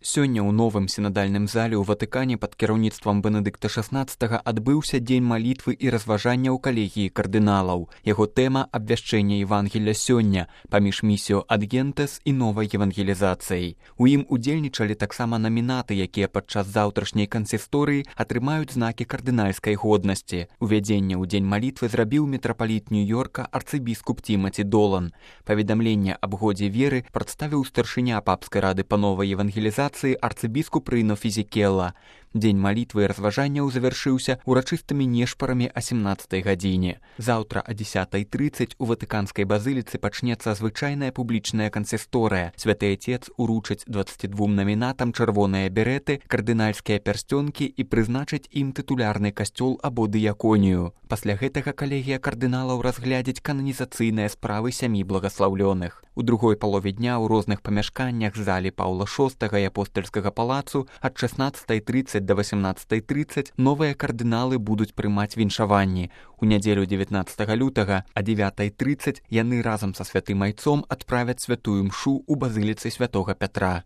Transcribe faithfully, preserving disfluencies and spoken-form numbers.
Сёння ў новым сінадальным зале ў Ватыкане пад кіраўніцтвам Бенедыкта шаснаццатага адбыўся дзень малітвы і разважання ў калегіі кардыналаў. Яго тэма абвяшчэння Евангелля сёння паміж місіо ад гентес і новай евангелізацыяй. У ім удзельнічалі таксама намінаты, якія падчас заўтрашняй кансісторыі атрымаюць знакі кардынальскай годнасці. Увядзенне ў дзень малітвы зрабіў мітрапаліт Нью-Йорка арцыбіскуп Тімаці Долан. Паведамленне аб годзе веры прадставіў старшыня папскай рады па новай евангелізацыі арцыбіскуп Рыно Фізікела. Дзень малітвы і разважанняў завяршыўся урачыстымі нешпарамі о сямнаццатай гадзіне. Заўтра о дзесятай трыццаць у Ватыканскай базыліцы пачнецца звычайная публічная кансісторыя. Святы Отец уручыць дваццаці двум намінатам чырвоныя береты, кардынальскія пярсцёнкі і прызначыць ім тытулярны касцёл або дыяконію. Пасля гэтага калегія кардыналаў разглядзіць кананізацыйныя справы сямі благаслаўлёных. У другой палове дня ў розных памяшканнях залі Паўла шостага і апостальскага палацу ад шаснаццатай трыццаць да васямнаццатай трыццаць новыя кардыналы будуць прымаць віншаванні. У нядзелю дзевятнаццатага лютага а дзевятай трыццаць яны разам са святым айцом адправяць святую мшу ў базыліцы святога Пятра.